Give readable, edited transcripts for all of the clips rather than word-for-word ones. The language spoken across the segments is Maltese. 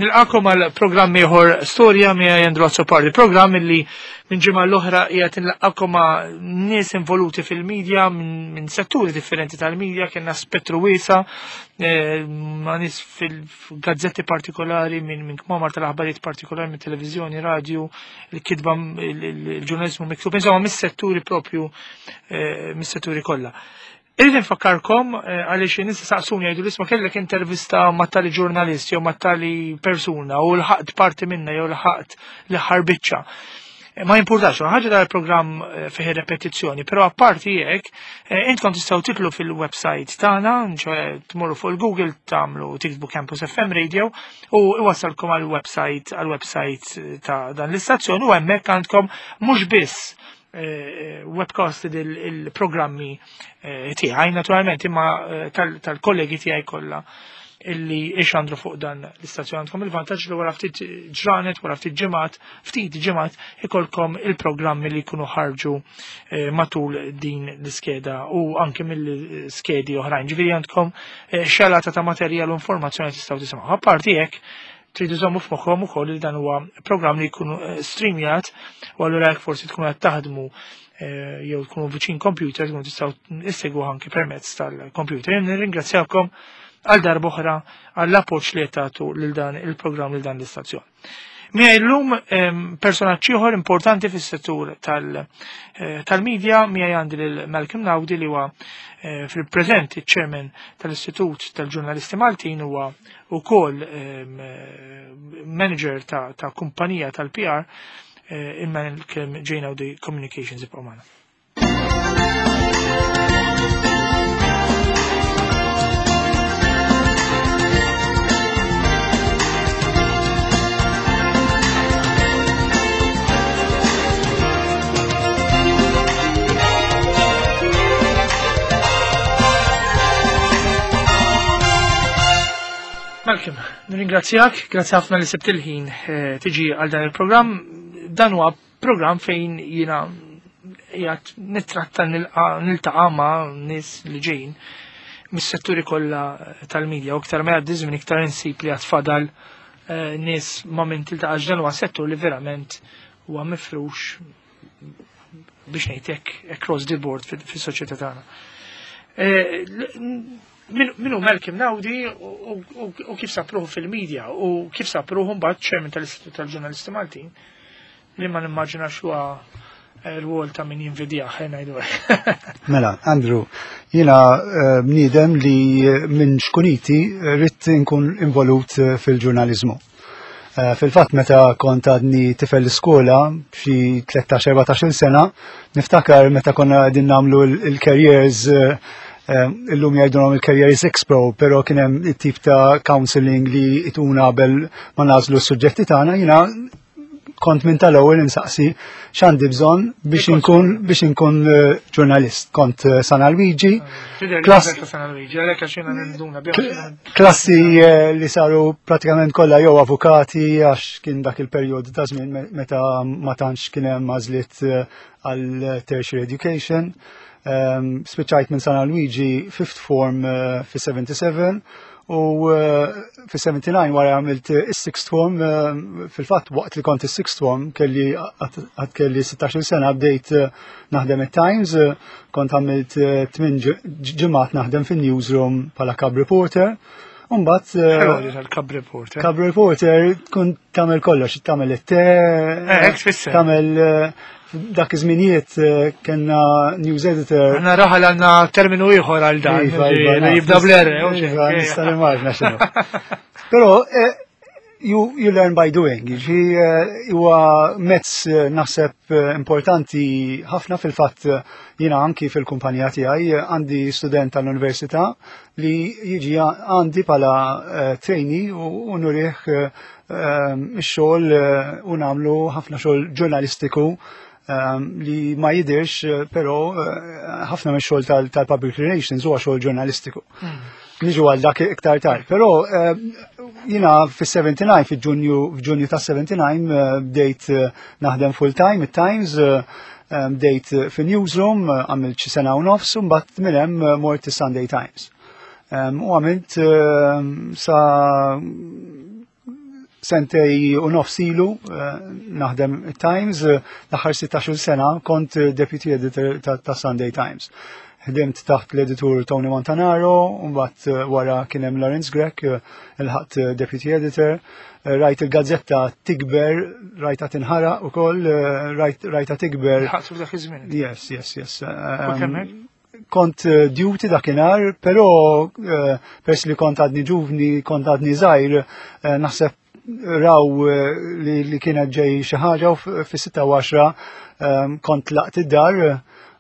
Nilqakom għal programm ieħor Storja miegħi Andrew Azzopardi, programm li minn ġimgħa l-oħra qiegħed nilqakom ma' nies involuti fil-medja minn setturi differenti tal-medja, kellna spettru wiesa' eh, ma' nies fil-gazzetti partikolari minn min kmamar tal-aħbarijiet partikolari minn televiżjoni, radju, il-kitba il-ġurnaliżmu miktub, insomma mis-setturi propju eh, mis-setturi kollha. Irrid infakkarkom eh, għaliex in-nies saqsuni jgħidu l-isma kellek intervista ma' tali ġurnalist jew ma' tali persuna u l-ħaqt parti minna jew l-ħaqt l-aħħar biċċa. Eh, ma jimpurtax, ħaġa dal programm eh, fih repetizzjoni, però apparti hekk intkom tistgħu titlu fil-website tagħna, ċoe tmorru fuq il-Google tagħmlu tiktbu Campus FM Radio u iwassalkom għall-website għall-website ta' dan l-istazzjon u hemmhekk għandkom mhux biss Eh, webcasted il-programmi eh, tiegħi naturalment imma eh, tal-kollegi tiegħi kollha illi ixandru fuq dan l-istazzjon għandkom il-vantaġġ li wara ftit ġranet, wara ftit ġimgħat, ftit ġimgħat ikolkom il-programmi li jkunu ħarġu matul din l-iskeda u anke mill-skedi oħrajn. Ġifieri għandkom xalata ta' materjal u informazzjoni tistgħu tisimgħu. Apparti hekk, Tridu żommu f'moħħom ukoll li dan huwa programm li jkun eh, streamjat u allura jekk forsi tkunu qed taħdmu eh, jew tkunu viċin computer tkunu tistgħu issegwu anki permezz tal-computer. Nirringrazzjakom għal darba oħra għall appoġġ li qed tagħtu lil dan il-programm lil dan l-istazzjon. Miegħi llum personaġġ ieħor importanti fis-settur eh, tal-medja miegħi għandi lil Malcolm Naudi li huwa eh, fil-preżent iċ-chairman tal-Istitut tal-Ġurnalisti Maltin huwa wkoll manager ta' kumpanija tal-PR eh, il-Malcolm J. Naudi Communications ibqgħu magħna. Malcolm, nirringrazzjak, grazzi ħafna li sibt il-ħin eh, tiġi għal dan il-programm. Dan huwa programm fejn jiena qiegħed nittratta niltaqa' ma' nies li ġejjin mis-setturi kollha tal-medja u iktar ma jgħaddi żmien iktar insib li għad fadal eh, nies ma' min tiltaqax dan huwa settur li verament huwa mifrux biex ngħid hekk across the board fis-soċjetà tagħna. Eh, min hu Malcolm Naudi u kif sapruħu fil-medja u kif sapruħu mbagħad chairman tal-Istitut tal-Ġurnalisti Maltin li ma nimmaġinax huwa eh, rwol ta' min jinvidjah eh, ngħidu Mela, Andrew, jiena eh, bniedem li minn xkuniti rrid nkun involut fil-ġurnaliżmu. Fil-fatt meta kont għadni tifel l-iskola xi 13-14 sena, niftakar meta konna qegħdin nagħmlu l-careers illum jgħidulhom il-Careers Expo, però kien hemm it-tip ta' counseling li ituna qabel ma nażlu s-suġġetti tagħna, jiena kont minn tal-ewwel insaqsi x'għandi bżonn biex inkun biex inkun eh, ġurnalist. Kont eh, San Alwiġi. Klassi eh, li saru pratikament kollha jew avukati għax kien dak il-perjodu ta' żmien meta ma tantx kien hemm għażliet għal tertiary education. Ehm, spiċċajt minn San Luigi fifth form eh, fi 77 u eh, fi 79 wara għamilt is-sixth form eh, fil-fatt waqt li kont is-sixth form kelli għad kelli 16 sena bdejt naħdem it-Times, kont għamilt 8 ġimgħat naħdem fin-newsroom bħala cub reporter. Umbat. Cub reporter. Cub reporter tkun tagħmel kollox, tagħmel it-te, tagħmel dak iż-żminijiet eh, kellna news editor. Għandna raħal għandna terminu ieħor għal dan. Iva, iva, jibda bl-R. Iva, nista' nimmaġna x'inhu. Però eh, you, you learn by doing. Ġi eh, huwa mezz naħseb importanti ħafna fil-fatt jiena anki fil-kumpanija tiegħi għandi student tal-università li jiġi għandi pala trainee u nurih Ehm, ix-xogħol eh, u nagħmlu ħafna xogħol ġurnalistiku ehm, li ma jidirx, eh, però eh, ħafna mix xogħol tal-public relations huwa xogħol ġurnalistiku. Hmm. Niġu għal dak iktar tard. Però ehm, jina fis-79 fil-Ġunju f'Ġunju tas-79 bdejt naħdem full time it-Times bdejt fin-newsroom għamilt xi sena u nofs u mbagħad minn hemm mort is-Sunday Times. U għamilt sa sentej u nofs ilu naħdem Times, l-aħħar 16 sena kont deputy editor ta' Sunday Times. Ħdimt taħt l-editur Tony Montanaro, u mbagħad wara kien hemm Lawrence Grech, ilħaqt deputy editor. Rajt il-gazzetta tikber, rajta tinħaraq ukoll, rajta tikber. Ħaqtu f'dak iż-żmien. Yes. Kont duty dakinhar, però pers li kont għadni ġuvni, kont għadni żgħir, naħseb raw li kienet ġej xi ħaġa u fis-6:10 kont laqt id-dar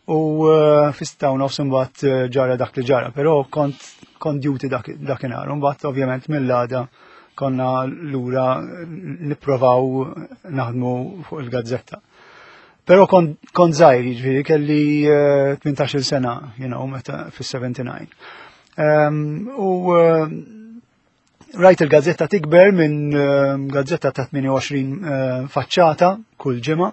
u fis-6:30 imbagħad ġara dak li ġara, però kont duty dakinhar. Imbagħad ovvjament mill-għada konna lura nipprovaw naħdmu fuq il-gazzetta. Però kont żgħir, jiġifieri kelli 18-il sena, meta fis-79. U rajt il-gazzetta tikber minn gazzetta ta' 28 faċċata kull ġimgħa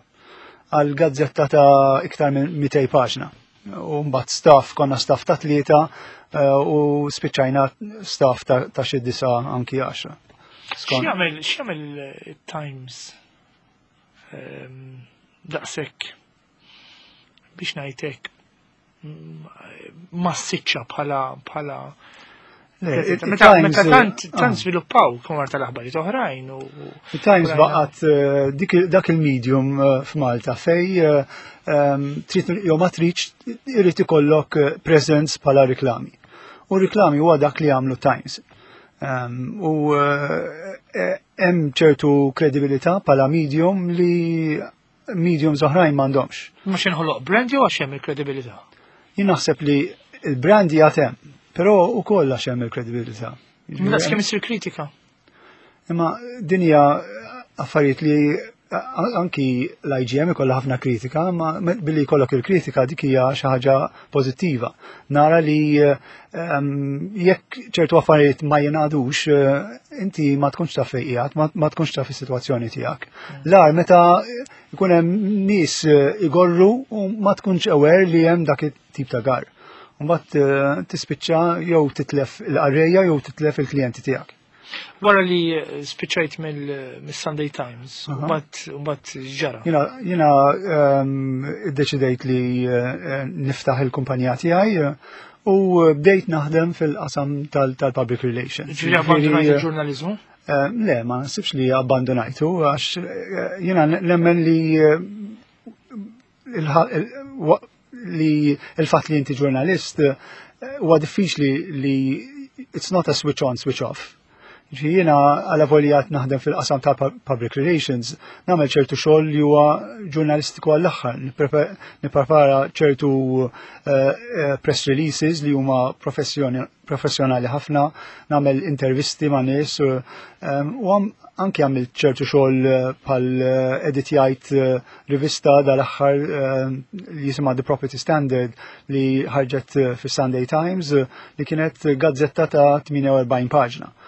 għal gazzetta ta' iktar minn 200 paġna. U mbagħad staff, konna staff ta' 3 u spiċċajna staff ta' xi 9 anki 10. X'jagħmel Times daqshekk biex ngħidlek massiċċa bħala meta tant tant żviluppaw kmamar tal-aħbarijiet oħrajn u Il-Times baqgħet dak il-medium f'Malta fej trid jew ma tridx irid ikollok presence bħala riklami. U riklami huwa dak li jagħmlu Times. U hemm ċertu kredibilità bħala medium li mediums oħrajn m'għandhomx. Ma x'inħoloq brand jew għax hemm il-kredibilità? Jien naħseb li il-brand hija hemm, però ukoll għax hemm il-kredibilità. Daqs kemm isir kritika. Imma din hija affarijiet li anki l-IGM ikollha ħafna kritika, ma billi jkollok il-kritika dik hija xi ħaġa pożittiva. Nara li jekk ċertu affarijiet ma jingħadux, inti ma tkunx taf fejn qiegħed, ma tkunx taf is-sitwazzjoni tiegħek. L-agħar meta jkun hemm nies igorru u ma tkunx aware li hemm dak it-tip ta' gar. Mbagħad tispiċċa jew titlef il-qarrejja jew titlef il-klijenti tiegħek. Wara li spiċċajt mill-Sunday Times, mbagħad ġara. Jiena iddeċidejt li niftaħ il-kumpanija tiegħi u bdejt naħdem fil-qasam tal-public relations. Ġifieri abbandonajt il-ġurnaliżmu? Le, ma nsibx li abbandonajtu, għax jiena nemmen li li il-fatt li inti ġurnalist huwa diffiċli li it's not a switch on, switch off. Ġi jiena għala voljat naħdem fil-qasam ta' public relations, nagħmel ċertu xogħol li huwa ġurnalistiku għall-aħħar, nipprepara ċertu press releases li huma professjonali ħafna, nagħmel intervisti ma' nies, u anki għamilt ċertu xogħol bħal editjajt rivista dal-aħħar li jisimha The Property Standard li ħarġet fis-Sunday Times li kienet gazzetta ta' 48 paġna.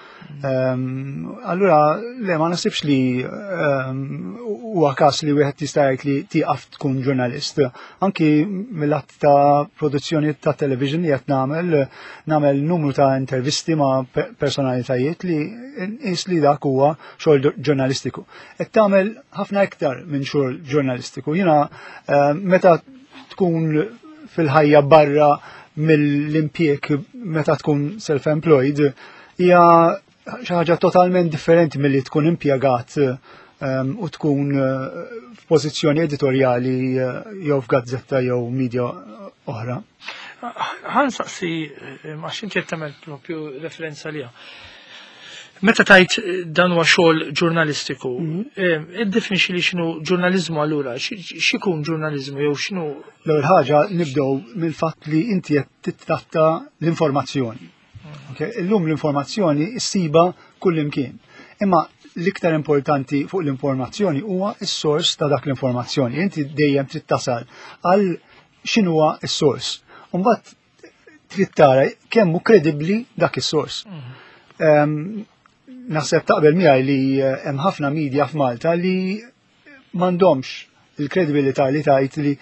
Allura, le, ma nasibx li huwa każ li wieħed jista' jgħid li tieqaf tkun ġurnalist. Anki mill-att ta' produzzjoni ta' television li qed nagħmel numru ta' intervisti ma' personalitajiet li nqis li dak huwa xogħol ġurnalistiku. Qed tagħmel ħafna iktar minn xogħol ġurnalistiku. Jiena meta tkun fil-ħajja barra mill-impjieg, meta tkun self-employed, hija xi ħaġa totalment differenti milli tkun impjegat u tkun f'pożizzjoni editorjali jew f'gazzetta jew media oħra. Ħa nsaqsi, għax inti qed tagħmel propju referenza liha. Meta tajt dan huwa xogħol ġurnalistiku, iddefinixxi li x'inhu ġurnaliżmu allura, x'ikun ġurnaliżmu jew x'inhu? L-ewwel ħaġa nibdew mill-fatt li inti qed titratta l-informazzjoni. Illum l-informazzjoni ssiba kull imkien. Imma l-iktar importanti fuq l-informazzjoni huwa s-sors ta' dak l-informazzjoni. Inti dejjem trid tasal għal x'inhuwa s-sors. U mbagħad trid tara kemm hu kredibbli dak is-sors. Naħseb taqbel miegħi li hemm ħafna media f'Malta li m'għandhomx il-kredibilità li tgħid li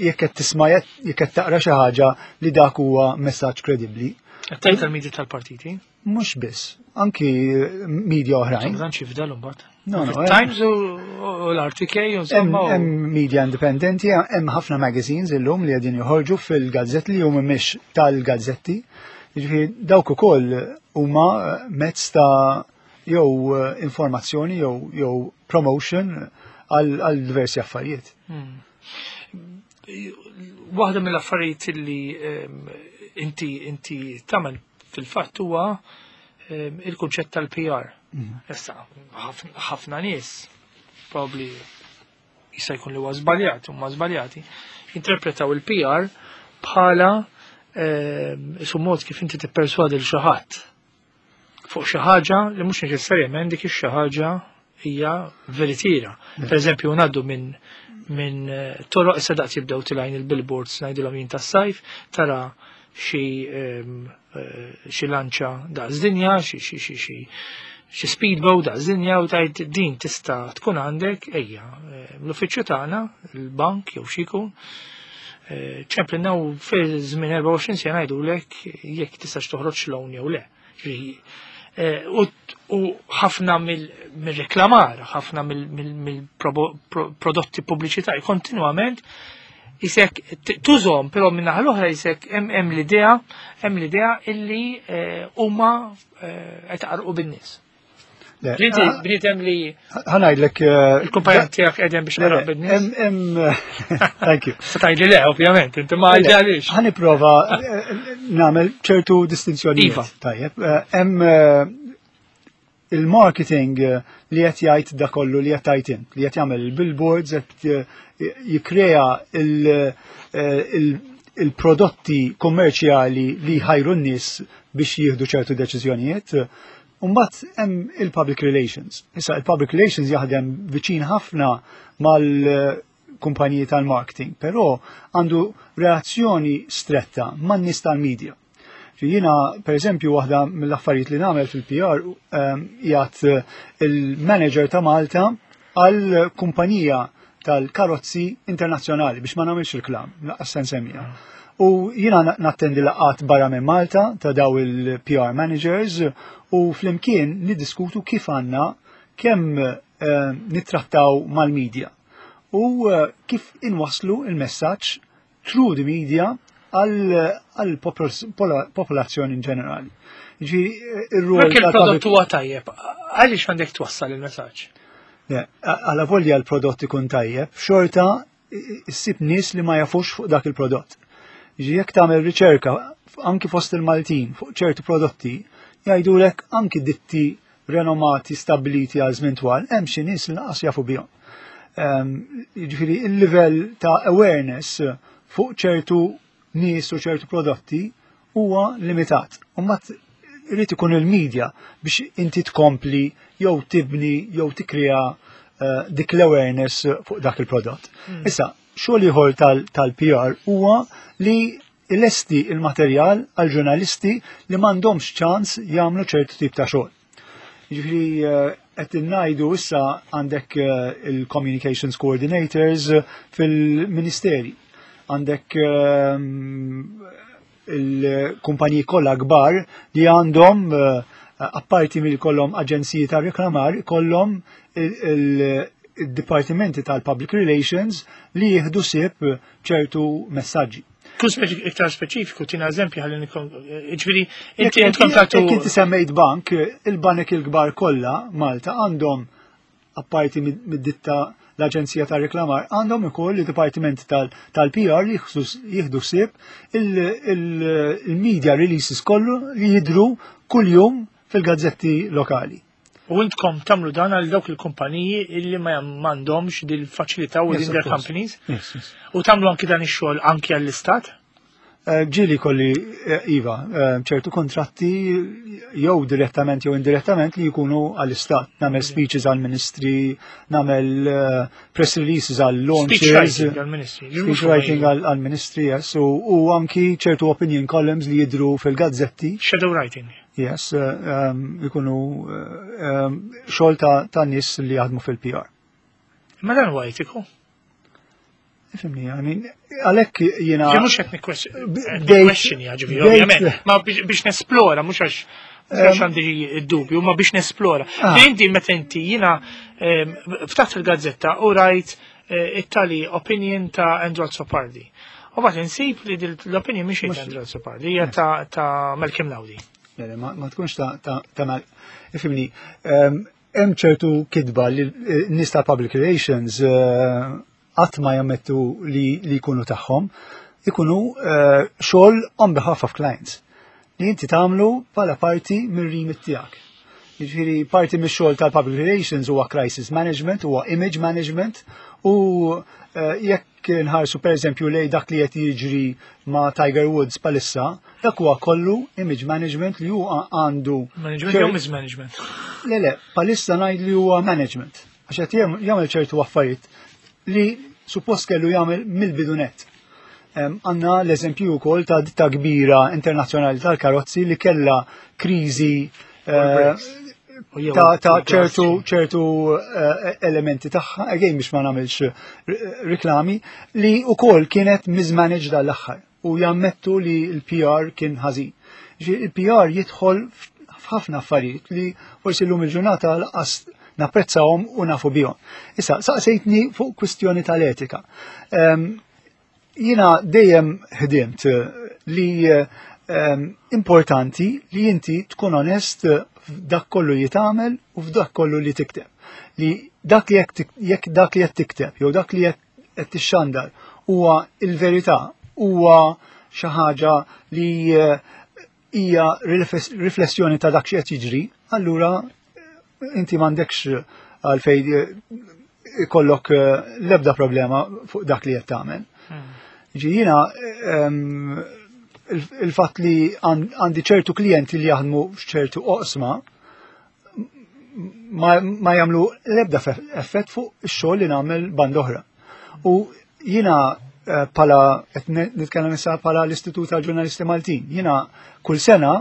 jekk qed tisma' jekk qed taqra xi ħaġa li dak huwa messaġġ kredibbli. Qed tgħid tal-media tal-partiti? Mhux biss. anki media oħrajn. Dan xi fdal imbagħad. No, no. Times u l-RTK u insomma. Hemm media indipendenti, hemm ħafna magazines illum li qegħdin joħorġu fil-gazzetti li huma mhix tal-gazzetti. Jiġifieri dawk ukoll huma mezz ta' jew informazzjoni jew promotion għal diversi affarijiet. Waħda mill-affarijiet li inti inti tagħmel fil-fatt huwa il-kunċett tal-PR. Issa, ħafna nies probably jista' jkun li huwa żbaljat, huma żbaljati, interpretaw il-PR bħala isu mod kif inti tipperswadi l xi ħadd fuq xi ħaġa li mhux neċessarjament dik ix-xi ħaġa hija veritiera. Per eżempju, ngħaddu minn toroq issa daqs jibdew tilgħin il-billboards ngħidilhom jien tas-sajf, tara xi xi lanċa daqs dinja, xi xi xi xi xi speedboat daqs dinja u tajt din tista' tkun għandek ejja. L-uffiċċju tagħna, il-bank jew xi jkun, ċemplinna u fi żmien 24 sena ngħidulek jekk tistax toħroġ loan jew le. U ħafna mill-reklamar, ħafna mill-prodotti pubbliċitari kontinwament jisek tużom, però minna l-oħra jisek hemm l-idea, hemm l-idea illi huma qed qarqu bin-nies. Inti bniedem li Ħa ngħidlek il-kumpanija tiegħek qegħdin biex qaraq bin-nies. Thank you. Se tgħidli le, ovvjament, inti ma għaliex. Ħa nipprova nagħmel ċertu distinzjonijiet. Iva. Tajjeb, hemm il-marketing li qed jgħid da kollu li qed tgħid int, li qed jagħmel il-billboards, qed jikkrea il-prodotti kommerċjali li jħajru n-nies biex jieħdu ċertu deċiżjonijiet. Umbagħad hemm il-public relations. Issa il-public relations jaħdem viċin ħafna mal-kumpaniji tal-marketing, però għandu relazzjoni stretta man-nies tal-media. Jiena, per eżempju, waħda mill-affarijiet li nagħmel fil-PR jgħat il-manager ta' Malta għal kumpanija tal-karozzi internazzjonali biex ma nagħmilx reklam, lanqas se nsemmija. U jiena nattendi laqgħat barra minn Malta ta' daw il-PR managers u flimkien niddiskutu kif għandna kemm nittrattaw mal-media u kif inwaslu il-messaġġ through the media għal popolazzjoni in ġenerali. Ġifieri, ir-rol Jekk il-prodott huwa tajjeb, għaliex għandek twassal il-messaġġ? Għala volja l-prodott ikun tajjeb, xorta issib nies li ma jafux fuq dak il-prodott. Ġi jekk tagħmel riċerka anki fost il-Maltin fuq ċertu prodotti, jgħidulek anki ditti renomati stabiliti għal żmien twal, hemm xi nies li lanqas jafu bihom. Jiġifieri il-livell ta' awareness fuq ċertu nies u ċertu prodotti huwa limitat. U mbagħad irid ikun il-media biex inti tkompli jew tibni jew tikkrea dik l-awareness fuq dak il-prodott. Issa, xogħol ieħor tal-PR huwa li ilesti il-materjal għal ġurnalisti li m'għandhomx ċans jagħmlu ċertu tip ta' xogħol. Jiġifieri qed ngħidu issa għandek il-communications coordinators fil-ministeri, għandek il-kumpaniji kollha kbar li għandhom apparti mill kollhom aġenziji ta' reklamar, kollhom il-dipartimenti tal-public relations li jieħdu ħsieb ċertu messaġġi. Kun iktar speċifiku, tina eżempju ħalli nikon, ġifieri, inti intkom tagħtu. Jekk inti semmejt bank, il-banek il-kbar kollha Malta għandhom apparti mid-ditta l-Aġenzija ta' Reklamar għandhom ukoll il-Dipartiment tal-PR li jieħdu ħsieb il-media releases kollu li jidru kuljum fil-gazzetti lokali. U intkom tagħmlu dan għal dawk il-kumpaniji illi ma m'għandhomx dil-faċilità within their companies? Yes. U tagħmlu anki dan ix-xogħol anki għall-istat? Ġieli kolli, Iva, ċertu kontratti jew direttament jew indirettament li jkunu għall-istat. Nagħmel speeches għall-ministri, nagħmel press releases għall-launches. Speech writing għall-ministri. Speech writing għall-ministri, yes. U anki ċertu opinion columns li jidru fil-gazzetti. Shadow writing. Yes, ikunu xogħol ta' nies li jaħdmu fil-PR. Ma dan huwa etiku? Ifhimni, I mean, għalhekk jiena. Ġi mhux qed nikkwestjoni, ġifieri, ovvjament, ma biex nesplora, mhux għax Għax għandi id-dubju, ma biex nesplora. Ah. Inti meta inti jiena ftaħt il-gazzetta u rajt eh, it-tali opinion ta' Andrew Azzopardi. U bat insib li l-opinion mhix ta' Andrew Azzopardi, hija ta' Malcolm Laudi. Ma tkunx ta' ta' Ifimni, hemm ċertu kitba li eh, nies ta' public relations eh, qatt ma jammettu li jkunu tagħhom, ikunu eh, xogħol on behalf of clients li inti tagħmlu bħala parti mir-remit tiegħek. Jiġifieri parti mix-xogħol tal-public relations huwa crisis management, huwa image management u eh, jekk nħarsu pereżempju lej dak li qed jiġri ma' Tiger Woods palissa, dak huwa kollu image management li huwa għandu. Management jew mismanagement? Le le, palissa ngħid li huwa management. Għax qed jagħmel ċertu affarijiet li suppost kellu jagħmel mill-bidunet. Għanna l-eżempju wkoll ta' ditta kbira internazzjonali tal-karozzi li kella kriżi eh, ta' ċertu ċertu eh, elementi tagħha, again biex ma nagħmilx riklami, li wkoll kienet mismanaged dal-aħħar u jammettu li l-PR kien ħażin. Il-PR jidħol f'ħafna affarijiet li forsi llum il-ġurnata laqas napprezzahom u nafu bihom. Issa, saqsejtni fuq kwistjoni tal-etika. Ehm, jiena dejjem ħdimt li ehm, importanti li inti tkun onest f'dak kollu li tagħmel u f'dak kollu li tikteb. Li dak li jekk dak li qed tikteb jew dak li qed tixxandar huwa il-verità, huwa xi ħaġa li eh, hija riflessjoni ta' dak xi qed jiġri, allura eh, inti m'għandekx għalfejn eh, ikollok l-ebda problema fuq dak li qed tagħmel. Hmm. Ġi jiena ehm, il-fatt li għandi ċertu klijenti li jaħdmu f'ċertu oqsma, ma, ma jagħmlu l-ebda effett fuq ix-xogħol li nagħmel band oħra. U jiena eh, pala qed nitkellem issa pala l-Istitut tal-Ġurnalisti Maltin. Jiena kull sena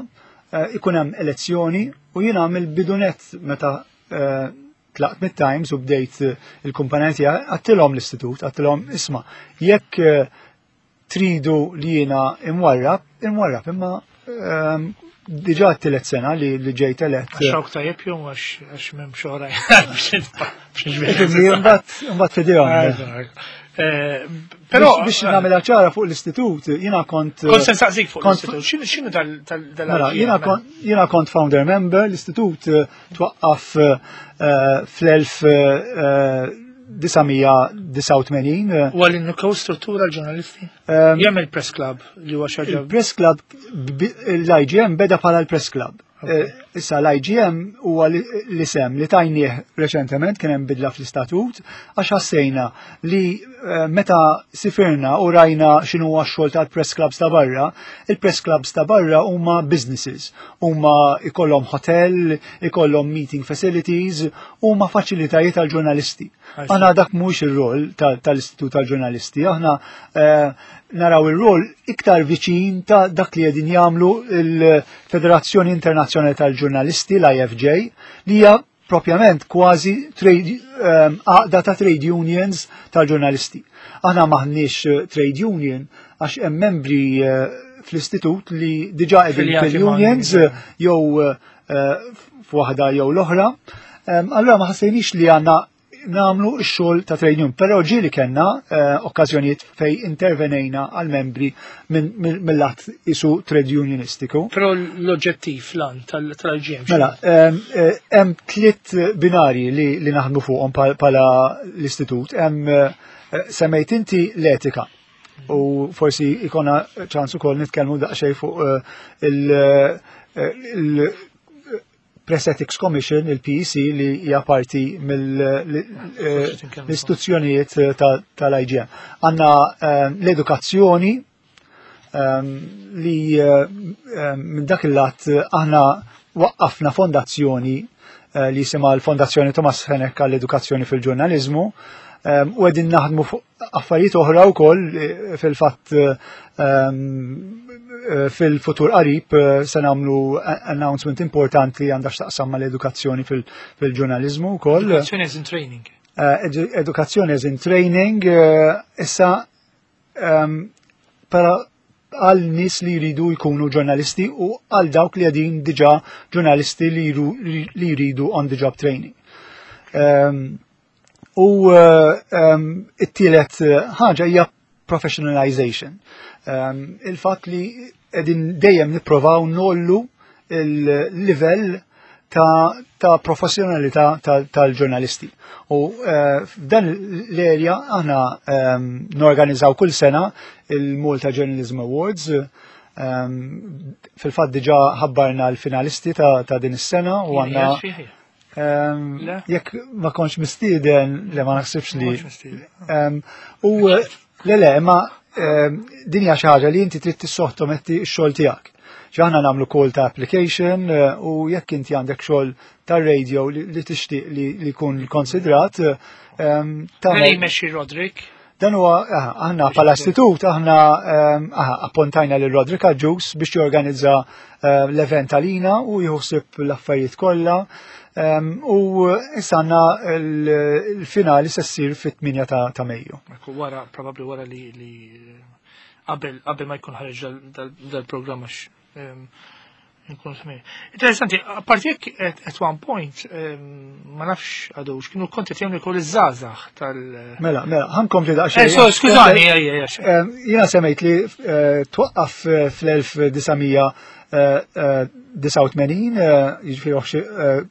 eh, ikun hemm elezzjoni u jiena mill-bidunet meta eh, tlaqt mit-Times u bdejt il-kumpanija tiegħi għattilhom l-istitut, għattilhom isma' jekk tridu li jiena imwarrab, imwarrab, imma ehm, diġa t-tielet sena li ġejt elett. Għax hawn tajjeb jew għax m'hemm xogħol. Mbagħad fidejhom. Eh, però biex nagħmilha ċara fuq l-istitut, jiena kont. Kont se nsaqsik fuq l-istitut. X'inhu tal mela, Jiena kont founder member, l-istitut eh, twaqqaf eh, fl-1989. U għal innukaw struttura l-ġurnalisti? Jem il-Press Club li huwa xaġa. Il-Press Club l-IGM beda bħala l-Press Club. Eh, issa l-IGM huwa l-isem li tajnieh reċentement kien hemm bidla fl-istatut għax ħassejna li eh, meta sifirna u rajna x'inhu x-xogħol tal-press clubs ta' barra, il-press clubs ta' barra huma businesses, huma ikollhom hotel, ikollhom meeting facilities, huma faċilitajiet għal ġurnalisti. Aħna dak mhux ir-rol tal-Istitut tal-Ġurnalisti, aħna eh, naraw ir-rol iktar viċin ta' dak li qegħdin jagħmlu l-Federazzjoni Internazzjonali tal-Ġurnalisti, l-IFJ, li hija propjament kważi ehm, għaqda ta' trade unions tal-ġurnalisti. Aħna maħniex eh, trade union għax hemm membri eh, fl-istitut li diġa qegħdin fil-unions jew f'waħda jew l-oħra. Allura ma ħassejniex li għandna namlu x-xogħol ta' trade union, però ġieli kellna eh, okkażjonijiet fej intervenejna għal membri mill-att isu trade unionistiku. Però l-oġġettiv lan tal-IGM. Mela, eh, hemm tliet binari li, li naħdmu fuqhom pala l-istitut. Hemm eh, semmejt inti l-etika. U forsi ikona ċans ukoll nitkellmu daqsxejn fuq eh, il Press Ethics Commission, il-PEC, li hija parti mill-istituzzjonijiet eh, tal-IGM. Għanna eh, l-edukazzjoni li minn dak il-lat aħna waqqafna fondazzjoni eh, li jisimha l-Fondazzjoni Thomas Fenech għall-Edukazzjoni fil-Ġurnaliżmu ehm, u qegħdin naħdmu fuq affarijiet oħra wkoll eh, fil-fatt ehm, eh, fil-futur qarib se nagħmlu announcement importanti għandha x'taqsam mal-edukazzjoni fil-ġurnaliżmu wkoll. Edukazzjoni as in training. Edukazzjoni as in training, issa ehm, pero għal nies li jridu jkunu ġurnalisti u għal dawk li qegħdin diġà ġurnalisti li jridu on the job training. U it-tielet ħaġa hija professionalization. Il-fatt li qegħdin dejjem nipprovaw nollu il-livell ta' professjonalità tal-ġurnalisti. U f'dan l-area aħna norganizzaw kull sena il-Malta Journalism Awards. Fil-fatt diġà ħabbarna l-finalisti ta' din is-sena u għandna jekk ma kontx mistieden, le, ma naħsibx li. U le, ma din hija xi ħaġa li inti trid tissottometti x-xogħol tiegħek. Aħna nagħmlu call ta' application u jekk inti għandek xogħol tar-radio li tixtieq li jkun konsidrat. Dan jmexxi Roderick. Dan huwa aħna bħala istitut, aħna appuntajna lil Roderick Agius biex jorganizza l-event għalina u jħossib l-affarijiet kollha. U issa għandna l-finali se ssir fit-8 ta' Mejju. Wara, probabbli wara li qabel ma jkun ħareġ dal-programm, għax nkun smir. Interessanti, apparti jekk at one point, ma nafx għadux, kienu konti jagħmlu kol iż-żgħażagħ tal- Mela, ħa nkompli daqsxejn. So, skużani, Jiena semmejt li twaqqaf fl-1989, jiġifieri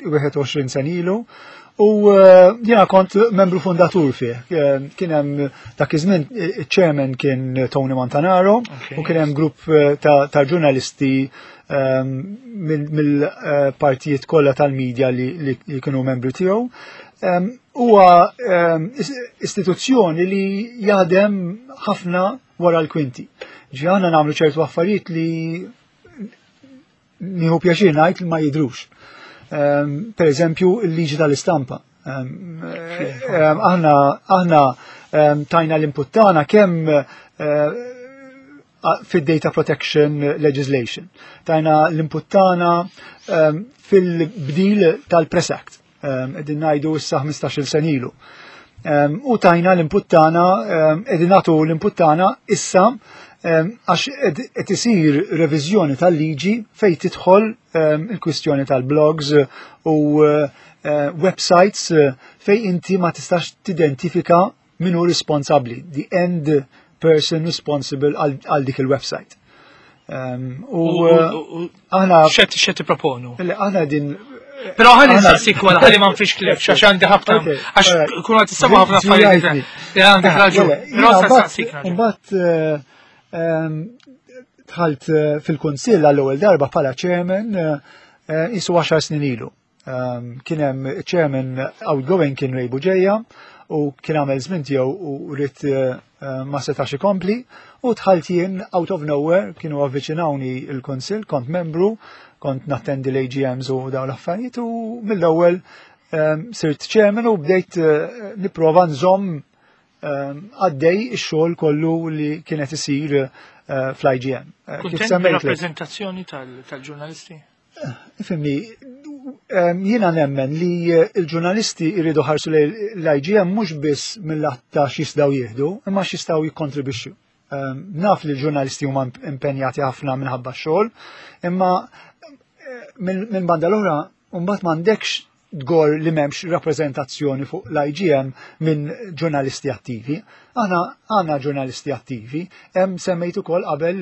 21 sena ilu, u jiena kont membru fundatur fih. Kien hemm dak iż-żmien chairman kien Tony Montanaro u kien hemm grupp ta' ġurnalisti mill-partijiet kollha tal-medja li kienu membri tiegħu. Huwa istituzzjoni li jaħdem ħafna wara l-kwinti. Ġi aħna nagħmlu ċertu affarijiet li nieħu pjaċir ngħid li ma jidrux. Per eżempju, il-liġi tal-istampa. Aħna tajna l-input tagħna kemm fid-data protection legislation. Tajna l-input tagħna fil-bdil tal-Press Act. Qegħdin ngħidu issa 15-il sena ilu. U tajna l-input tagħna, qegħdin nagħtu l-input tagħna issa għax qed isir reviżjoni tal-liġi fejn tidħol il-kwistjoni tal-blogs u websites fejn inti ma tistax tidentifika min hu responsabbli, the end person responsible għal dik il-website. U aħna X'qed tipproponu? Aħna din Però ħalli nsaqsik wara, ħalli ma nfix klif, għax għandi ħafna, għax kun għad tisema ħafna affarijiet. Għandek raġun. Però nsaqsik. Mbagħad dħalt fil-kunsill għall-ewwel darba bħala chairman isu 10 snin ilu. Kien hemm chairman outgoing, kien Ray Bugeja, u kien għamel żmien tiegħu u ried ma setax ikompli u dħalt jien out of nowhere. Kienu avviċinawni il-kunsill, kont membru, kont nattendi l-AGMs u dawn l-affarijiet u mill-ewwel sirt chairman u bdejt nipprova nżomm għaddej ix-xogħol kollu li kienet isir fl-IGM. Kif semmejt, rappreżentazzjoni tal-ġurnalisti? Ifhimni, jiena nemmen li il-ġurnalisti jridu ħarsu l-IGM mhux biss mill-lat ta' x'jistgħu jieħdu, imma x'jistgħu jikkontribwixxu. Naf li l-ġurnalisti huma impenjati ħafna minħabba xogħol, imma minn banda l-oħra mbagħad m'għandekx tgorr li m'hemmx rappreżentazzjoni fuq l-IGM minn ġurnalisti attivi. Aħna għandna ġurnalisti attivi, hemm semmejt ukoll qabel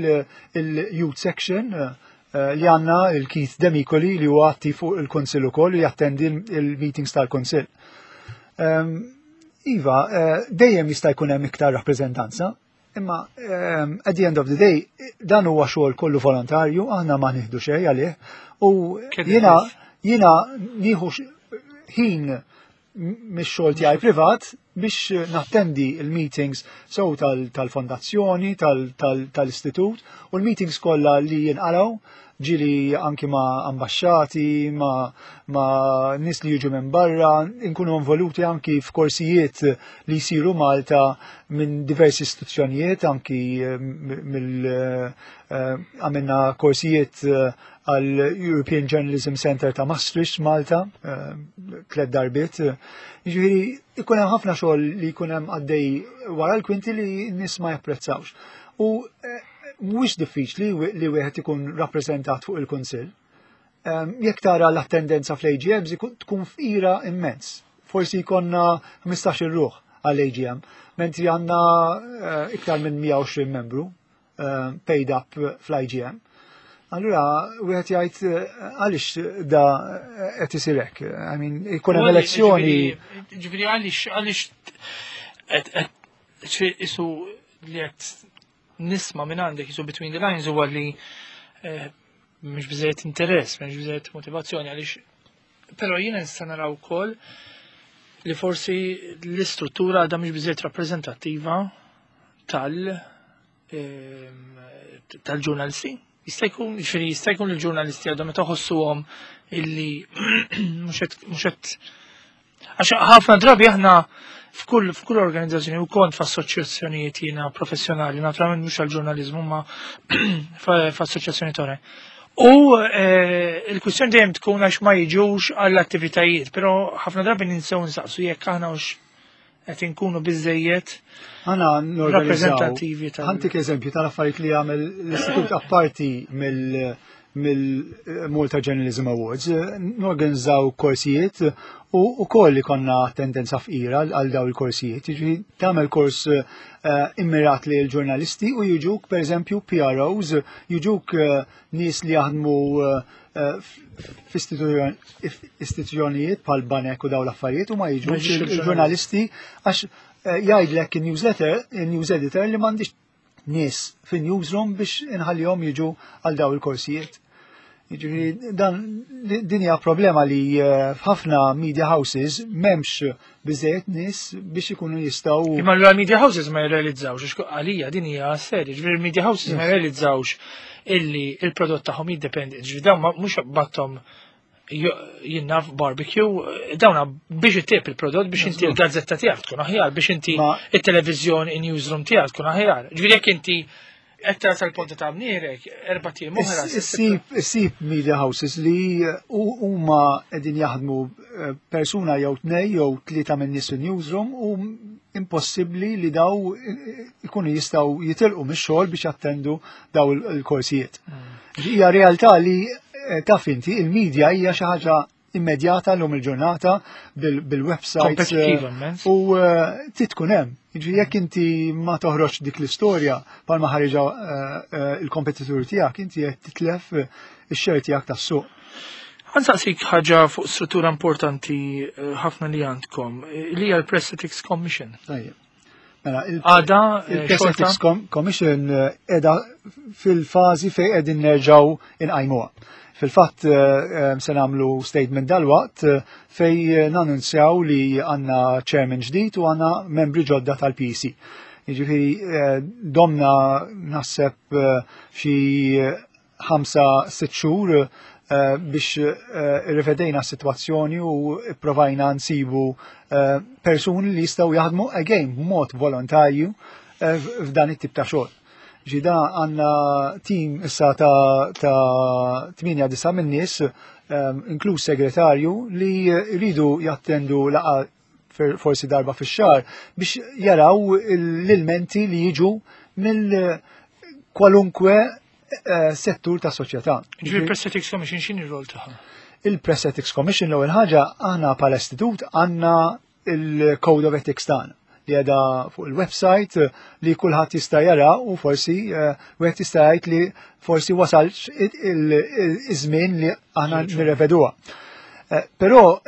il-Youth Section li għandna il-Keith Demicoli li huwa attiv fuq il-Kunsill ukoll li jattendi il-meetings tal-Kunsill. Iva, dejjem jista' jkun hemm iktar rappreżentanza, imma at the end of the day dan huwa xogħol kollu volontarju, aħna ma nieħdu xejn għalih u jiena nieħu ħin mix-xogħol tiegħi privat biex nattendi il-meetings sew tal-fondazzjoni, tal-istitut u l-meetings kollha li jinqalgħu, ġieli anki ma' ambasċati, ma nies li jiġu minn barra, inkunu involuti anki f'korsijiet li jsiru Malta minn diversi istituzzjonijiet, anki mill għamilna korsijiet għal European Journalism Center ta' Maastricht Malta, tlet darbiet. Jiġifieri ikun hemm ħafna xogħol li jkun hemm għaddej wara l-kwinti li n-nies ma japprezzawx. U Mhuwiex diffiċli li wieħed ikun rappreżentat fuq il-Kunsill. Jekk tara l-attendenza fl-AGMs tkun fqira immens. Forsi jkollna 15 ruħ għall-AGM, mentri għandna iktar minn 120 membru paid up fl-IGM. Allura, wieħed jgħid għaliex da qed isir hekk. I mean, ikun hemm elezzjoni. Ġifieri għaliex għaliex isu li qed nisma' minn għandek isu between the lines huwa li mhux biżejjed interess, mhux biżejjed motivazzjoni għaliex però jiena nista' naraw ukoll li forsi l-istruttura għadha mhux biżejjed rappreżentattiva tal-ġurnalisti. Jista' jkun, ġifieri jista' jkun il-ġurnalisti għadhom meta ħossuhom illi mhux qed għax ħafna drabi aħna f'kull organizzazzjoni u kont f'assoċjazzjonijiet jiena professjonali, naturalment mhux għall-ġurnaliżmu ma f'assoċjazzjoni oħrajn. U il-kwistjoni dejjem tkun għax ma jiġux għall-attivitajiet, però ħafna drabi ninsew nsaqsu jekk aħna hux qed inkunu biżejjed Aħna rappreżentattivi tal. Ħa ntik eżempju tal-affarijiet li jagħmel l-istitut apparti mill-Malta Journalism Awards, norganizzaw korsijiet u wkoll li konna tendenza fqira għal daw il-korsijiet. Jiġifieri tagħmel kors immirat li l-ġurnalisti u jiġuk pereżempju PROs, jiġuk nies li jaħdmu f'istituzzjonijiet bħal banek u daw l-affarijiet u ma jiġux il-ġurnalisti għax jgħidlek il-newsletter, il-news editor li m'għandix nies fin-newsroom biex inħallihom jiġu għal daw il-korsijiet. Jiġifieri dan din hija problema li f'ħafna media houses m'hemmx biżejjed nies biex ikunu jistgħu. Imma allura media houses ma jirrealizzawx, għax għalija din hija serja, ġifieri media houses ma jirrealizzawx illi il-prodott tagħhom jiddependi, ġifieri dawn mhux battom jinnaf barbecue, dawna biex ittib il-prodott, biex inti il-gazzetta tiegħek tkun aħjar, biex inti il-televiżjoni, il-newsroom tiegħek tkun aħjar. Ġifieri jekk inti qed tara tal-ponta ta' mnierek, 4 ijiem oħra. Issib media houses li huma qegħdin jaħdmu persuna jew tnej jew tlieta minn nies newsroom u impossibbli li daw ikunu jistgħu jitilqu mix-xogħol biex jattendu daw il-korsijiet. Hija realtà li taf inti il-media hija xi ħaġa immedjata l-lum il-ġurnata bil-website. Kompetittiva immens. U titkun hemm. Jiġifieri jekk inti ma toħroġ dik l-istorja bħalma ħariġa il-kompetitur tiegħek, inti qed titlef ix-share tiegħek tas-suq. Ħa nsaqsik ħaġa fuq struttura importanti ħafna li għandkom, li hija l-Press Ethics Commission. Tajjeb. Mela, Għada, il-Press xorta? Ethics Commission edha fil-fażi fejn qegħdin nerġgħu inqajmuha. Fil-fatt se nagħmlu statement dalwaqt fej nanunzjaw li għandna chairman ġdid u għandna membri ġodda tal-PC. Jiġifieri domna naħseb xi 5-6 xhur biex irrivedejna s-sitwazzjoni u provajna nsibu persuni li jistgħu jaħdmu again b'mod volontarju f'dan it-tip ta' xogħol. Ġida għandna team issa ta' 8-9 minn nies, inkluż segretarju, li jridu jattendu laqa forsi darba fix-xahar biex jaraw l-ilmenti li jiġu mill kwalunkwe settur ta' soċjetà. Ġifieri Press Ethics Commission x'inhi r-rol tagħha? Il-Press Ethics Commission l-ewwel ħaġa aħna bħala istitut għandna il-Code of Ethics tagħna li qiegħda fuq il-website li kulħadd jista' jara u forsi wieħed jista' jgħid li forsi wasalx iż-żmien li aħna nirreveduha. Però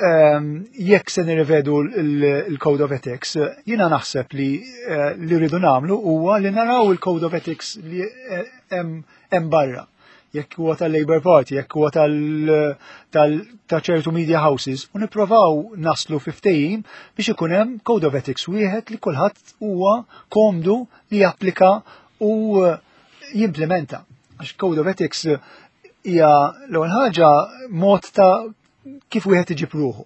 jekk se nirrevedu il-Code of Ethics, jiena naħseb li rridu nagħmlu huwa li naraw il-Code of Ethics li hemm barra. Jekk huwa tal-Labour Party, jekk huwa ta' ċertu media houses, u nipprovaw naslu fi ftehim biex ikun hemm Code of Ethics wieħed li kulħadd huwa komdu li japplika u jimplementa. Għax Code of Ethics hija l-ewwel ħaġa mod ta' kif wieħed iġib ruħu.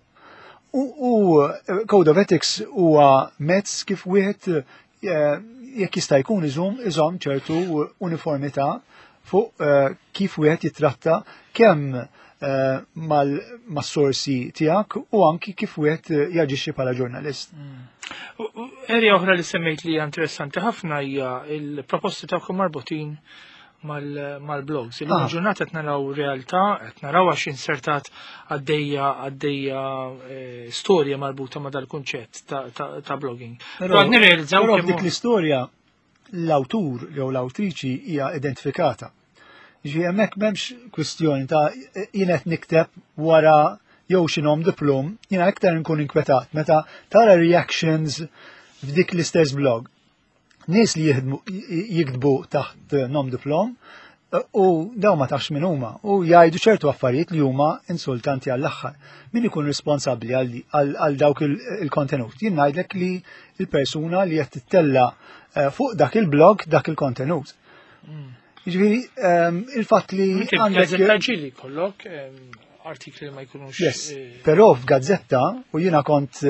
U Code of Ethics huwa mezz kif wieħed jekk jista' jkun iżomm ċertu uniformità fuq kif wieħed jitratta kemm mas-sorsi tiegħek u anki kif wieħed jaġixxi bħala ġurnalist. Area oħra li semmejt li hija interessanti ħafna hija il-proposti tagħkom marbutin Mal-blogs. Illum il-ġurnata qed naraw realtà, qed naraw għax insertat għaddejja għaddejja storja marbuta ma' dal-kunċett ta' blogging. Però nirrealizzaw dik l-istorja l-awtur jew l-awtriċi hija identifikata. Ġi hemmhekk m'hemmx kwistjoni ta' jien qed nikteb wara jew xi nom diplom, jiena iktar nkun inkwetat meta tara reactions f'dik l-istess blog. Nies li jiktbu taħt nom diplom u daw ma tafx min huma u jgħidu ċertu affarijiet li huma insultanti għall-aħħar. Min ikun responsabbli għal dawk il-kontenut? Jien ngħidlek li l-persuna li qed tittella fuq dak il-blog dak il-kontenut. Jiġifieri il-fatt li għandek gazzetta ġieli kollok artikli li ma jkunux. Yes, però f'gazzetta u jiena kont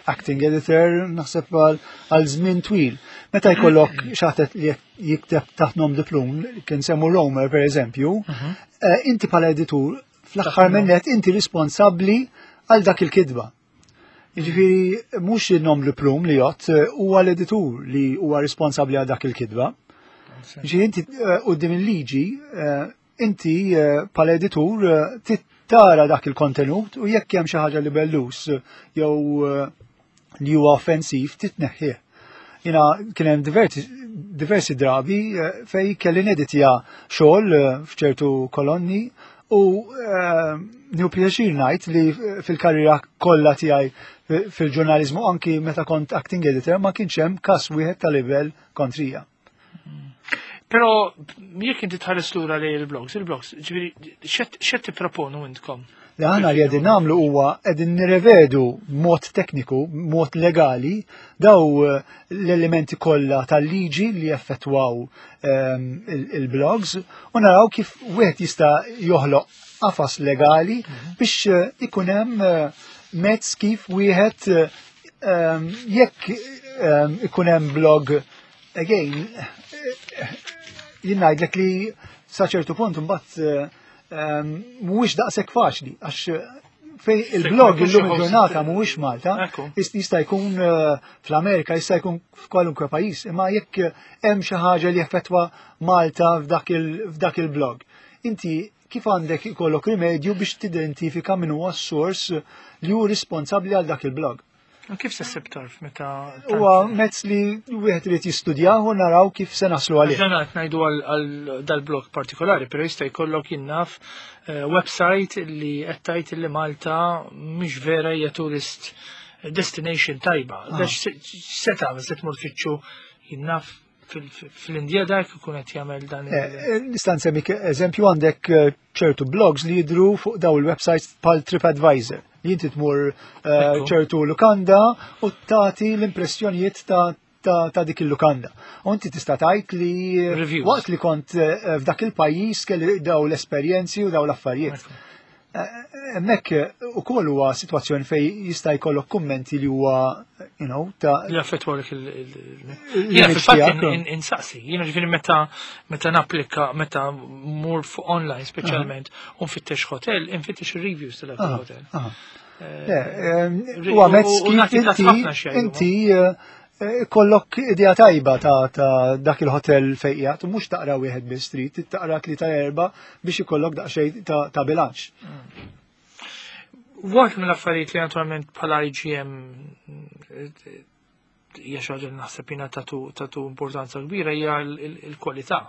acting editor naħseb għal żmien twil. Meta jkollok xaħtet li jikteb taħt nom diplom, kien semmu Romer per eżempju, inti bħala editur fl-aħħar minnet inti responsabbli għal dak il-kitba. Jiġifieri mhux il-nom diplom li jgħod huwa l-editur li huwa responsabbli għal dak il-kitba. Jiġifieri inti quddiem il-liġi inti bħala editur tara dak il-kontenut u jekk hemm xi ħaġa li bellus jew li huwa offensiv titneħħih. Jina kien hemm diversi drabi fej kelli neditja xogħol f'ċertu kolonni u nieħu pjaċir ngħid li fil-karriera kollha tiegħi fil-ġurnaliżmu anki meta kont acting editor ma kienx hemm każ wieħed ta' livell kontrija. Però jekk inti tħares lura lejn il-blogs, il-blogs, ġifieri x'qed tipproponu intkom? Li aħna li qegħdin nagħmlu huwa qegħdin nirrevedu mod tekniku, mod legali, daw l-elementi kollha tal-liġi li jaffettwaw il-blogs u naraw kif wieħed jista' joħloq qafas legali biex ikun hemm mezz kif wieħed jekk ikun hemm blog again jien ngħidlek li sa ċertu punt imbagħad mhuwiex daqshekk faċli għax fej il-blog illum il-ġurnata mhuwiex Malta, jista' jkun fl-Amerika, jista' jkun f'kwalunkwe pajjiż, imma jekk hemm xi ħaġa li jaffettwa Malta f'dak il-blog. Inti kif għandek ikollok rimedju biex tidentifika min huwa s-sors li hu responsabbli għal dak il-blog? U kif se ssib tarf meta Huwa mezz li wieħed irid jistudjah u naraw kif se naslu għalih. Dan qed ngħidu għal dal-blog partikolari, però jista' jkollok jinnaf website li qed tgħid li Malta mhix vera hija tourist destination tajba. Se tagħmel se tmur tfittxu jinnaf fl-Indja dak ikun qed jagħmel dan Nista' nsemmi eżempju għandek ċertu blogs li jidru fuq daw il-websites bħal TripAdvisor. Li inti tmur ċertu lukanda u tagħti l-impressjonijiet ta' dik il-lukanda. U inti tista' tgħid li waqt li kont f'dak il-pajjiż kelli daw l-esperjenzi u daw l-affarijiet. Hemmhekk ukoll huwa sitwazzjoni fej jista' jkollok kummenti li huwa, you know, ta' Li affettwalek il- Jiena fil-fatt insaqsi, jiena ġifieri meta napplika, meta mur fuq online speċjalment u nfittex hotel, infittex ir-reviews tal-hotel. Huwa mezz kif inti kollok idea tajba ta' dak il-hotel fejn qiegħed u mhux taqra wieħed biss trid, taqra tlieta erba' biex ikollok daqsxejn ta' bilanċ. Waħda mill-affarijiet li naturalment bħala IGM hija xi ħaġa li naħseb jiena tatu importanza kbira hija l-kwalità.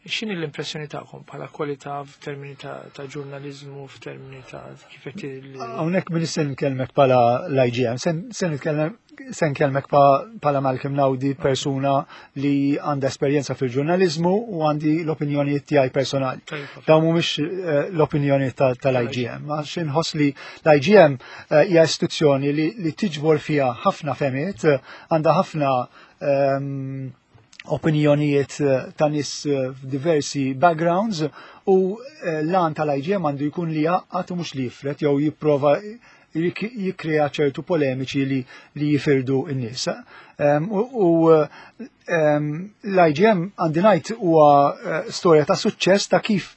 X'inhi l-impressjoni tagħkom bħala kwalità f'termini ta' ġurnaliżmu, f'termini ta' kif qed Hawnhekk min se nkellmek bħala l-IGM, se nitkellem se nkellmek bħala Malcolm Naudi, persuna li għandha esperjenza fil-ġurnaliżmu u għandi l-opinjonijiet tiegħi personali. Dawn mhumiex l-opinjoni tal-IGM. Għax inħoss li l-IGM hija istituzzjoni li tiġbor fiha ħafna femiet, għandha ħafna opinjonijiet ta' nies f'diversi backgrounds u l-għan tal-IGM għandu jkun li jgħaqqad u mhux li jifred jew jipprova jikkrea ċertu polemiċi li jifirdu n-nies. U l-IGM għandi ngħid huwa storja ta' suċċess ta' kif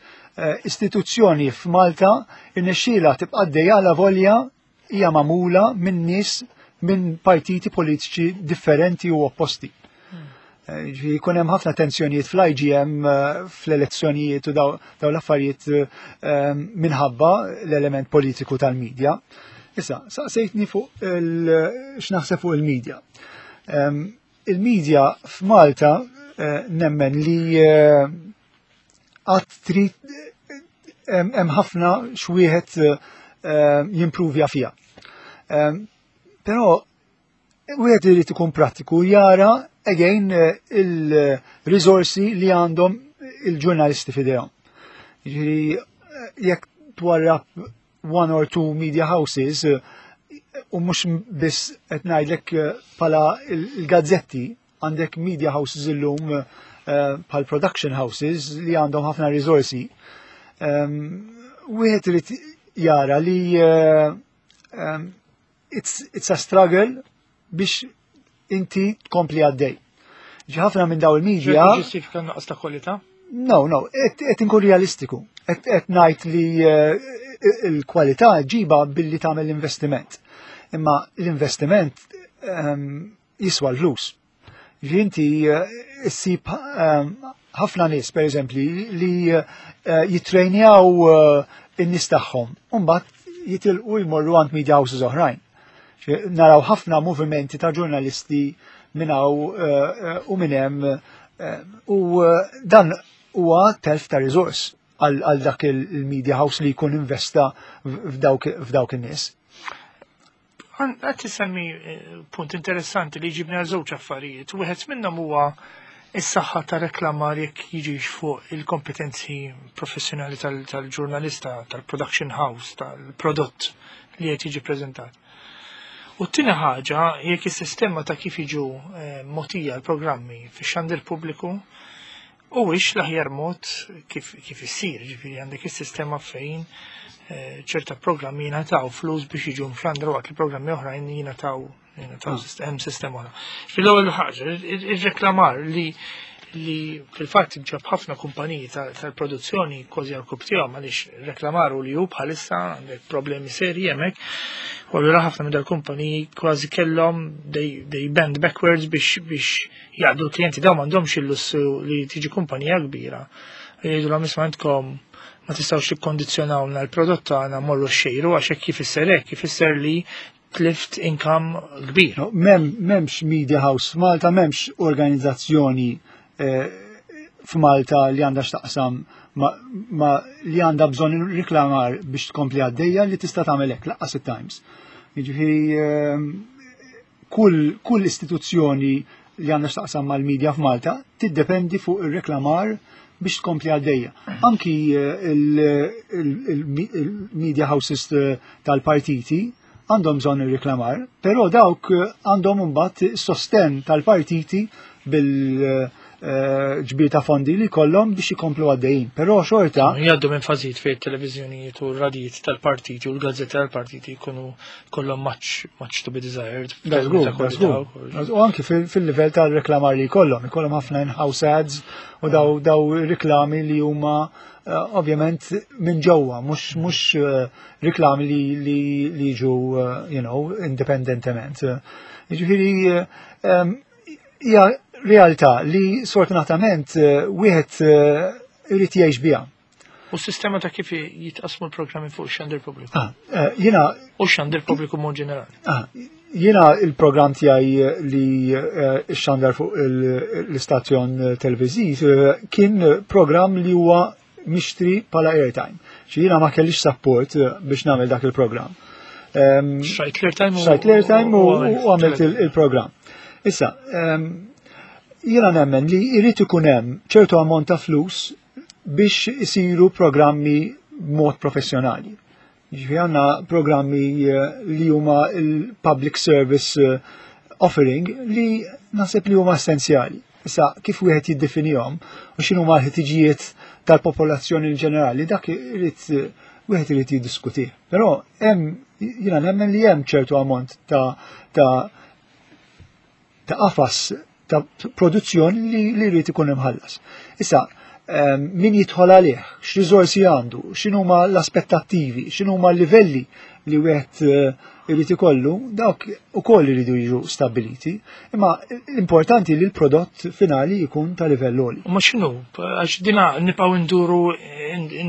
istituzzjoni f'Malta irnexxielha tibqa' għaddejja la volja hija magħmula minn nies minn partiti politiċi differenti u opposti. Ġifieri jkun hemm ħafna tensjonijiet fl-IGM fl-elezzjonijiet u daw l-affarijiet minħabba l-element politiku tal-medja. Issa, saqsejtni fuq x'naħseb fuq il-medja. Il-medja f'Malta nemmen li għad trid hemm ħafna x'wieħed jimpruvja fiha. Però wieħed irid ikun prattiku jara again il-riżorsi li għandhom il-ġurnalisti f'idejhom. Jiġifieri jekk twarrab one or two media houses u mhux biss qed ngħidlek bħala il-gazzetti, għandek media houses illum bħal production houses li għandhom ħafna riżorsi. Wieħed irid jara li it's a struggle biex inti tkompli għaddej. Ġi ħafna minn daw il-media. Ġustifika nuqqas ta' kwalità? No, qed inkun realistiku. Qed ngħid li il-kwalità ġiba billi tagħmel l-investiment. Imma l-investiment jiswa l-flus. Ġi inti ssib ħafna nies, per eżempju, li jitrejnjaw in-nies tagħhom, u mbagħad jitilqu jmorru għand media houses oħrajn. Naraw ħafna movimenti ta' ġurnalisti minn hawn u minn hemm u dan huwa telf ta' riżors għal dak il-media house li jkun investa f'dawk in-nies. Qed tisemmi punt interessanti li jġibni għal żewġ affarijiet. Wieħed minnhom huwa is-saħħa ta' reklamar jekk jiġix fuq il-kompetenzi professjonali tal-ġurnalista, tal-production house, tal-prodott li qed jiġi preżentat. U t-tieni ħaġa jekk is-sistema ta' kif jiġu mogħtija l-programmi fix-xandir pubbliku huwiex l-aħjar mod kif issir, ġifieri għandek is-sistema fejn ċerta programmi jingħataw flus biex jiġu mxandra waqt li programmi oħrajn jingħataw hemm sistema oħra. Fil-ewwel ħaġa, ir-reklamar li fil-fatt ġab ħafna kumpaniji tal-produzzjoni kważi għal tiegħu għaliex reklamar u li hu bħalissa għandek problemi serji hemmhekk. U allura ħafna minn dal-kumpaniji kważi kellhom they bend backwards biex jaqdu l-klijenti dawn m'għandhomx il-lussu li tiġi kumpanija kbira. Jgħidu isma' għandkom ma tistgħux tikkondizzjonawna l-prodott tagħna morru xejru għax hekk jfisser hekk ifisser li tlift income kbir. No, m'hemmx media house f'Malta, m'hemmx organizzazzjoni f'Malta li għandha x'taqsam ma li għandha bżonn riklamar biex tkompli għaddejja li tista' tagħmel hekk lanqas it-Times. Jiġifieri kull istituzzjoni li għandha x'taqsam mal-media f'Malta tiddependi fuq ir-reklamar biex tkompli għaddejja. Anki il-media houses tal-partiti għandhom bżonn ir-reklamar, però dawk għandhom imbagħad sosten tal-partiti bil-ġbir ta' fondi li kollhom biex ikomplu għaddejjin. Però xorta Jgħaddu minn fażijiet fejn it-televiżjonijiet u r-radijiet tal-partiti u l-gazzetti tal-partiti jkunu kollhom much, much to be desired. That's good. U anki fil-livell tal-reklamar li jkollhom, ikollhom ħafna in-house ads u daw reklami li huma ovvjament minn ġewwa, mhux reklami li jiġu independentement. Jiġifieri hija realtà li sfortunatament wieħed irid jgħix biha. U s-sistema ta' kif jitqasmu l-programmi fuq xandir pubbliku? Ah, jiena U xandir pubbliku mod ġenerali. Ah, jiena il-programm tiegħi li xandar fuq l-istazzjon televiżiv kien programm li huwa mixtri bħala airtime. Xi jiena ma kellix support biex nagħmel dak il-programm. Xtrajt l-airtime Xtrajt l-airtime u għamilt il-programm. Issa, jiena nemmen li jrid ikun hemm ċertu ammont ta' flus biex isiru programmi b'mod professjonali. Ġifieri għandna programmi li huma il-public service offering li naħseb li huma essenzjali. Issa, kif wieħed jiddefinihom u x'inhu huma l-ħtiġijiet tal-popolazzjoni in ġenerali, dak irid wieħed irid jiddiskutih. Però hemm jiena nemmen li hemm ċertu ammont ta' qafas ta' produzzjoni li jrid ikun imħallas. Issa, Min jidħol għalih, x'riżorsi għandu, x'inhuma l-aspettattivi, x'inhuma l-livelli li wieħed irid ikollu, dawk ukoll iridu jiġu stabbiliti. Imma l-importanti li l-prodott finali jkun ta' livell għoli. Ma x'inhu, għax dina nibqgħu nduru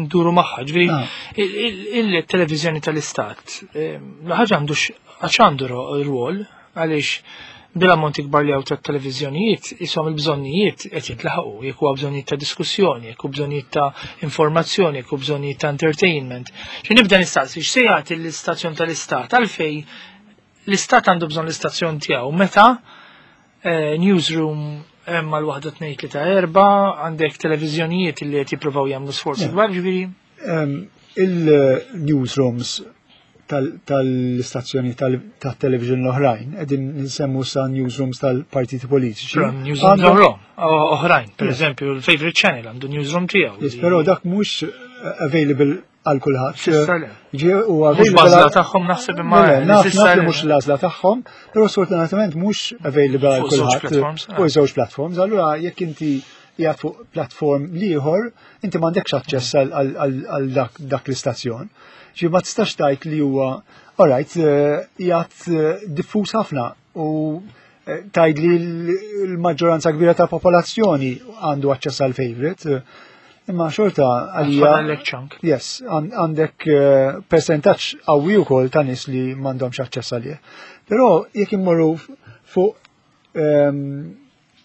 nduru magħha, ġifieri il-televiżjoni tal-istat, la ħaġa għandu għax għandu rwol għaliex bil-ammonti kbar li hawn tat-televiżjonijiet ishom il-bżonnijiet qed jintlaħqu, jekk huwa bżonnijiet ta' diskussjoni, jekk hu bżonnijiet ta' informazzjoni, jekk hu bżonnijiet ta' entertainment. Xi nibda nistaqsi x'se jagħti l-istazzjon tal-istat għalfejn l-istat għandu bżonn l-istazzjon tiegħu meta newsroom hemm mal waħda tnejn tlieta erba' għandek televiżjonijiet li qed jippruvaw jagħmlu sforzi kbar ġifieri. Il-newsrooms tal-istazzjoni tal-television l-oħrajn, qegħdin nsemmu sa newsrooms tal-partiti politiċi. Newsrooms oħrajn, per eżempju, il-favorite channel għandu newsroom tiegħu. Yes, però dak mhux available għal kulħadd. U mhux l-għażla tagħhom naħseb imma. Naf li mhux l-għażla tagħhom, però sfortunatament mhux available għal kulħadd. Fuq żewġ platforms. Allura jekk inti qiegħed fuq platform ieħor, inti m'għandekx aċċess għal dak l-istazzjon. Ġi ma tistax tgħid li huwa alright qiegħed diffuż ħafna u tgħid li l-maġġoranza kbira ta' popolazzjoni għandu aċċess għal favorite. Imma xorta għalija. Yes, għandek percentaġġ qawwi wkoll ta' nies li m'għandhomx aċċess għalih. Però jekk immorru fuq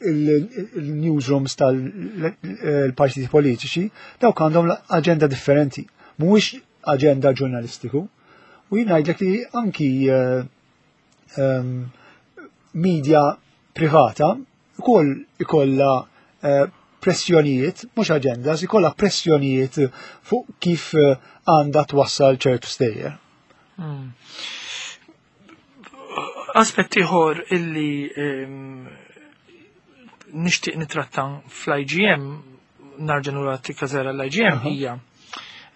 il-newsrooms tal-partiti politiċi, dawk għandhom aġenda differenti. Mhuwiex aġenda ġurnalistiku. U jien ngħidlek li anki media privata ukoll ikollha pressjonijiet, mhux agendas, ikollha pressjonijiet fuq kif għandha twassal ċertu stejjer. Aspett ieħor illi nixtieq nitratta fl-IGM, narġa' lura tikka żgħira l-IGM hija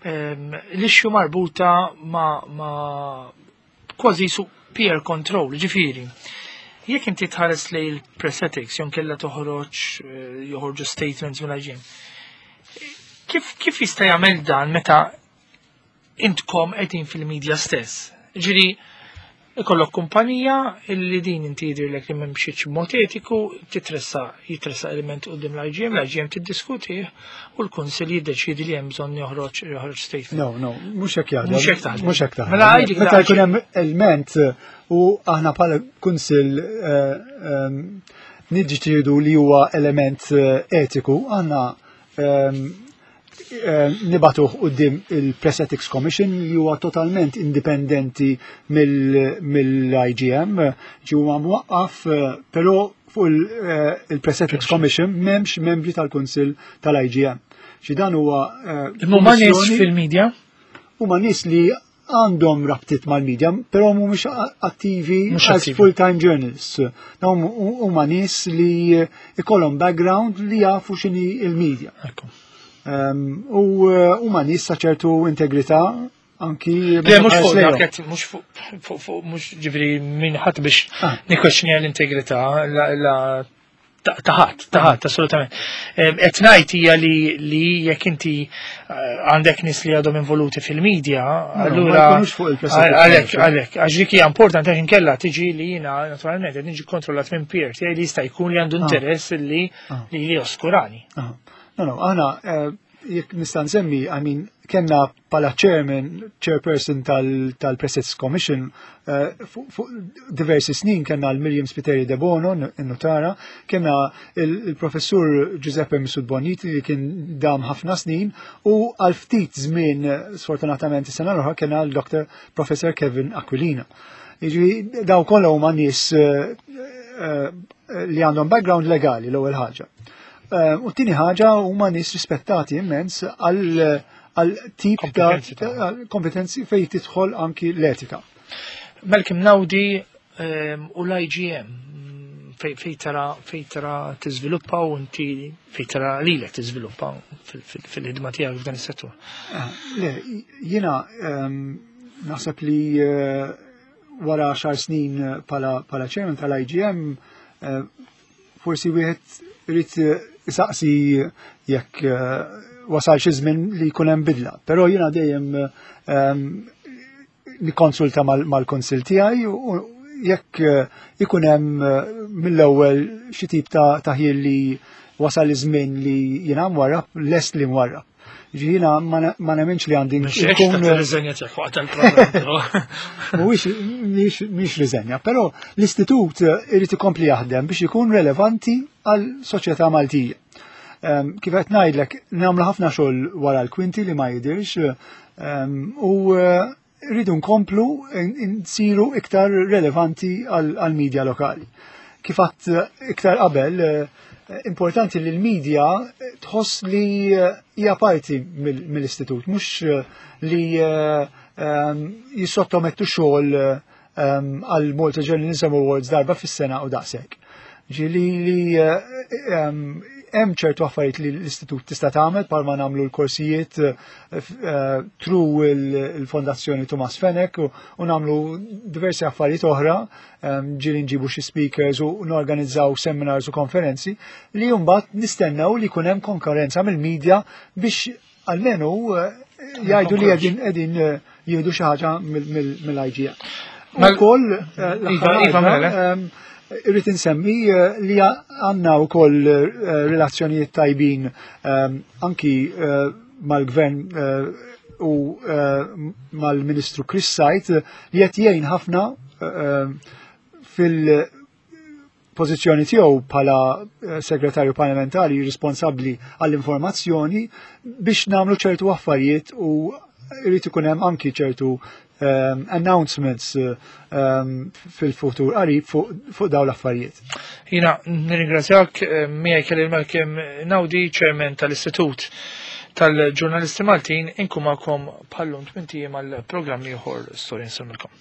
l-issue marbuta ma kważi su peer control, ġifieri. Jekk inti tħares lejn il-press ethics, jew kella toħroġ joħorġu statements mill-IGM, kif jista' jagħmel dan meta intkom qegħdin fil-media stess? Ġifieri, ikollok kumpanija illi din inti jidhirlek li m'hemmx mod etiku, jitressa element quddiem l-IGM, l-IGM tiddiskuti u l-Kunsill jiddeċidi li hemm bżonn joħroġ statement. No, no, mhux hekk jaħdem. Mhux hekk taħdem. Mhux hekk taħdem. Mela għidli Meta jkun hemm element u aħna bħala Kunsill niddeċidu li huwa element etiku, aħna nibagħtuh quddiem il-Press Ethics Commission li huwa totalment indipendenti mill-IGM, ġi huwa mwaqqaf, però fuq il-Press Ethics Commission m'hemmx membri tal-Kunsill tal-IGM. Xi dan huwa Huma nies fil-medja? Huma nies li għandhom rabtiet mal-medja, però mhumiex attivi as full-time journalists. Dawn huma nies li ikollhom background li jafu x'inhi il-medja. U huma nies ta' ċertu integrità anki Le, mhux fuq dak, mhux fuq mhux ġifieri min ħadd biex nikkwestjonja l-integrità la taħat, taħat, assolutament. Qed ngħid hija li jekk inti għandek nies li għadhom involuti fil-medja, allura għalhekk, għalhekk, għax dik hija importanti għax inkella tiġi li jiena naturalment qed niġi kontrollat minn peer tiegħi li jista' jkun li għandu interess li oskurani. No, no, aħna jekk nista' nsemmi, I mean, kellna bħala chairman, chairperson tal-Press Ethics Commission, fuq diversi snin kellna l-Myriam Spiteri Debono, n-notara, kellna il-professur Giuseppe Mifsud Bonnici li kien dam ħafna snin, u għal ftit żmien, sfortunatament is-sena l-oħra, kellna l-Dr. Professor Kevin Aquilina. Jiġifieri daw kollha huma nies li għandhom background legali l-ewwel ħaġa. U t-tieni ħaġa huma nies rispettati immens għal tip ta' kompetenzi fejn tidħol anki l-etika. Malcolm Naudi u l-IGM fej tara tiżviluppa u inti fej tara lilek tiżviluppa fil-ħidma tiegħek f'dan is-settur. Le, jiena naħseb li wara 10 snin pala chairman tal-IGM forsi wieħed irid isaqsi jekk wasal xi żmien li jkun hemm bidla. Però jiena dejjem nikkonsulta mal-konsil tiegħi u jekk ikun hemm mill-ewwel xi tip ta' taħjir li wasal iż-żmien li jiena mwarrab, lest li mwarrab. Jiena ma nemminx li għandi nkun. Riżenja tiegħek waqt il-programm. Mhuwiex mhix riżenja, però l-istitut irid ikompli jaħdem biex ikun relevanti għal soċjetà Maltija. Kif qed ngħidlek, nagħmlu ħafna xogħol wara l-kwinti li ma jidhirx u rridu nkomplu nsiru iktar relevanti għal-medja lokali. Kif għadt iktar qabel, importanti li l-medja tħoss li hija parti mill-istitut, mhux li jissottomettu xogħol għal Malta Journalism Awards darba fis-sena u daqshekk. Ġieli li hemm ċertu affarijiet li l-istitut tista' tagħmel bħalma nagħmlu l-korsijiet through il-Fondazzjoni Thomas Fenech u nagħmlu diversi affarijiet oħra, ġieli nġibu xi speakers u norganizzaw seminars u konferenzi li mbagħad nistennew li jkun hemm konkurrenza mill-medja biex almenu jgħidu li qegħdin jieħdu xi ħaġa mill-IGM. Ukoll Iva, mela. Irrid insemmi li għandna wkoll relazzjonijiet tajbin anki mal-gvern u mal-Ministru Chris Said li qed jgħin ħafna fil-pożizzjoni tiegħu bħala segretarju parlamentari responsabbli għall-informazzjoni biex nagħmlu ċertu affarijiet u irid ikun hemm anki ċertu announcements fil-futur qarib fuq dawn l-affarijiet. Jiena nirringrazzjak. Miegħi kelli Malcolm Naudi, Chairman tal-Istitut tal-Ġurnalisti Maltin, inkun magħkom bħal-lum 8 għal programm ieħor Storja. Nsellmilkom.